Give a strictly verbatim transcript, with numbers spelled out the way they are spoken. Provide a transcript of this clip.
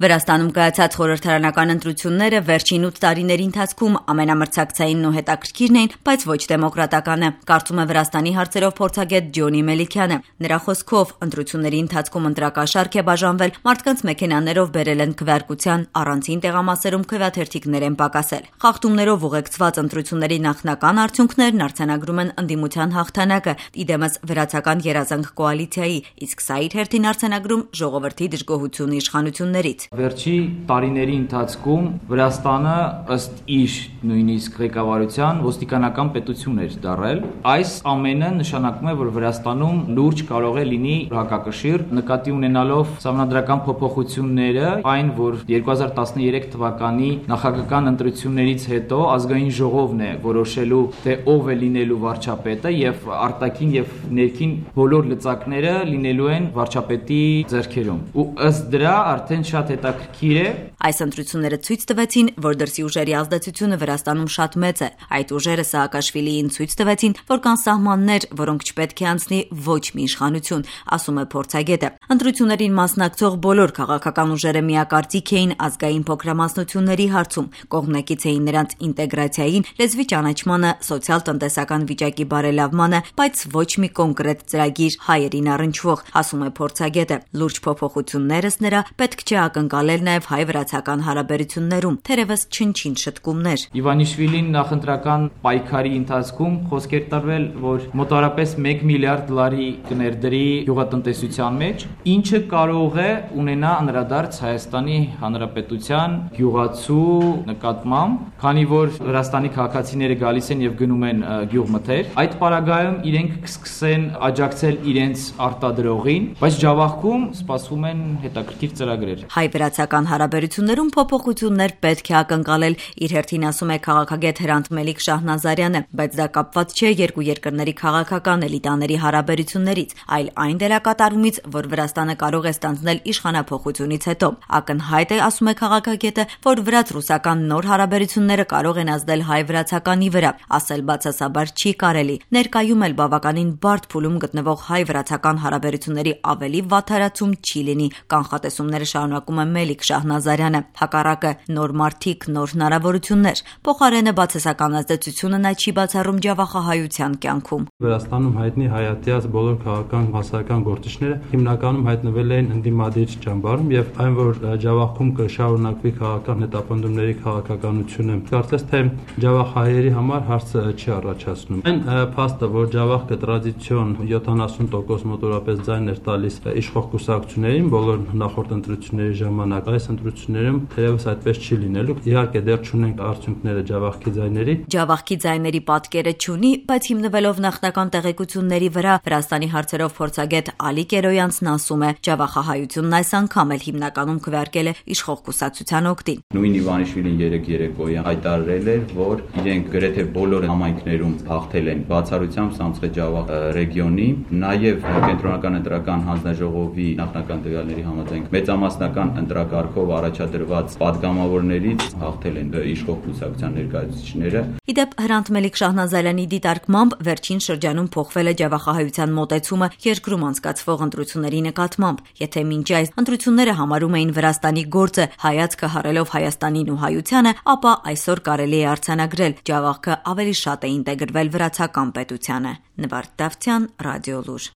Վրաստանում կայացած խորհրդարանական ընտրությունները վերջին ութ տարիների ընթացքում ամենամրցակցայինն ու հետաքրքիրն էին, բայց ոչ դեմոկրատականը, կարծում է Վրաստանի հարցերով փորձագետ Ջոնի Մելիքյանը։ Նրա խոսքով, ընտրությունների ընթացքում ընտրակաշառք է բաժանվել, մարդկանց մեքենաներով բերել են քվեարկության, առանցին տեղամասերում քվեաթերթիկներ են պակասել։ Խախտումներով ուղեկցված ընտրությունների նախնական արդյունքներն արձանագրում են ընդդիմության հաղթանակը, իդեմս վրացական երազանք կոալիցիայի, իսկ սա իր հերթին արձանագրում ժողովրդի դժգոհությունը իշխանություններից։ Վերջի տարիների ընթացքում Վրաստանը ըստ իր նույնիսկ ղեկավարության ոստիկանական պետություն էր դարձել։ Այս ամենը նշանակում է, որ Վրաստանում լուրջ կարող է լինի հակակշիռ, նկատի ունենալով սահմանադրական փոփոխությունները, այն, որ երկու հազար տասներեք թվականի նախագահական ընտրություններից հետո ազգային ժողովն է որոշելու, թե ով է լինելու վարչապետը, եւ արտաքին եւ ներքին բոլոր լծակները լինելու են վարչապետի ձեռքերում։ Ու ըստ դրա արդեն շատ հետաքրքիր է։ Այս ընտրությունները ցույց տվեցին, որ դրսի ուժերի ազդեցությունը Վրաստանում շատ մեծ է։ Այդ ուժերը Սաակաշվիլիին ցույց տվեցին, որ կան սահմաններ, որոնք չպետք է անցնի ոչ մի իշխանություն, ասում է փորձագետը։ Ընտրություններին մասնակցող բոլոր քաղաքական ուժերը միակարծիք էին ազգային փոքրամասնությունների հարցում, կողմնակից էին նրանց ինտեգրացիային, լեզվի ճանաչմանը, սոցիալ-տնտեսական վիճակի բարելավմանը, բայց ոչ մի կոնկրետ ծրագիր հայերին առնչվող, ասում է փորձագետը։ Լուրջ փոփոխություններս նրա պետք չէ ակնկալել նաև հայ-վրացական հարաբերություններում, թերևս չնչին շտկումներ։ Իվանիշվիլին նախընտրական պայքարի ընթացքում խոսքեր տարվել, որ մոտավորապես մեկ միլիարդ դոլարի կներդրի գյուղատնտեսության մեջ, ինչը կարող է ունենա անդրադարձ Հայաստանի Հանրապետության գյուղացու նկատմամբ, քանի որ Վրաստանի քաղաքացիները գալիս են եւ գնում են գյուղմթեր, այդ պարագայում իրենք կսկսեն աջակցել իրենց արտադրողին, բայց Ջավախքում սպասվում են հետաքրքիր ծրագրեր։ Հայ-վրացական հարաբերություններում փոփոխություններ պետք է ակնկալել, իր հերթին ասում է քաղաքագետ Հրանտ Մելիք Շահնազարյանը, բայց դա կապված չէ երկու երկրների քաղաքական էլիտաների հարաբերություններից, այլ այն դերակատարումից, որ Վրաստանը կարող է ստանձնել իշխանափոխությունից հետո։ Ակնհայտ է, ասում է քաղաքագետը, որ վրաց-ռուսական նոր հարաբերությունները կարող են ազդել հայ-վրացականի վրա, ասել բացասաբար չի կարելի։ Ներկայում էլ բավականին բարդ փուլում գտնվող հայ-վրացական հարաբերությունների ավելի վատթարացում չի լինի, կանխատեսումները շարունակում է Մելիք Շահնազարյանը։ Հակառակը նոր մարդիկ, նոր հնարավորություններ, փոխարենը բացասական ազդեցությունը նա չի բացառում ջավախահայության կյանքում։ Վրաստանում հայտնի հայատյաց բոլոր քաղաքական հասարակական գործիչները հիմնականում հայտնվել էին ընդդիմադիր ճամբարում եւ այն, որ Ջավախքում կշարունակվի քաղաքական հետապնդումների քաղաքականությունը, կարծես թե ջավախահայերի համար հարց չի առաջացնում։ Այն փաստը, որ Ջավախքը տրադիցիոն յոթանասուն տոկոս մոտորապես ձայն էր տալիս իշխող կուսակցություններին բոլոր նախորդ ընտրությունների ժամանակ, այս ընտրություններում թերևս այդպես չի լինելու։ Իհարկե դեռ չունենք արդյունքները Ջավախքի ձայների։ Ջավախքի ձայների պատկերը չունի, բայց հիմնվելով նախնական տեղեկությունների վրա Վրաստանի հարցերով փորձագետ Ալի Կերոյանցն ասում է, ջավախահայությունն այս անգամ էլ հիմնականում քվեարկել է իշխող կուսակցության օգտին։ Նույն Իվանիշվիլին երեք երեկոյան հայտարարել էր, որ իրենք գրեթե բոլոր համայնքներում հաղթել են, բացառությամբ Սամցխե Ջավախ ռեգիոնի, նաև կենտրոնական ընտրական հանձնաժողովի նախնական տվյալների համաձայն մեծամասնական ընտրակարգով առաջադրված падգամավորներից հաղթել են իշխող կուսակցության ներկայացուցիչները։ Իդեպ Հրանտ Մելիք Շահնազարյանի դիտարկմամբ վերջին շրջանում փոխվել է ջավախահայության մոտեցումը երկրում անցկացվող ընտրությունների նկատմամբ։ Եթե մինչ այս ընտրությունները համարում էին Վրաստանի գործը հայացքը հառելով Հայաստանին ու հայությանը, ապա այսօր կարելի է արձանագրել Ջավախքը ավելի շատ է ինտեգրվել վրացական պետությանը։ Նվարդ Դավթյան, Ռադիոլուր։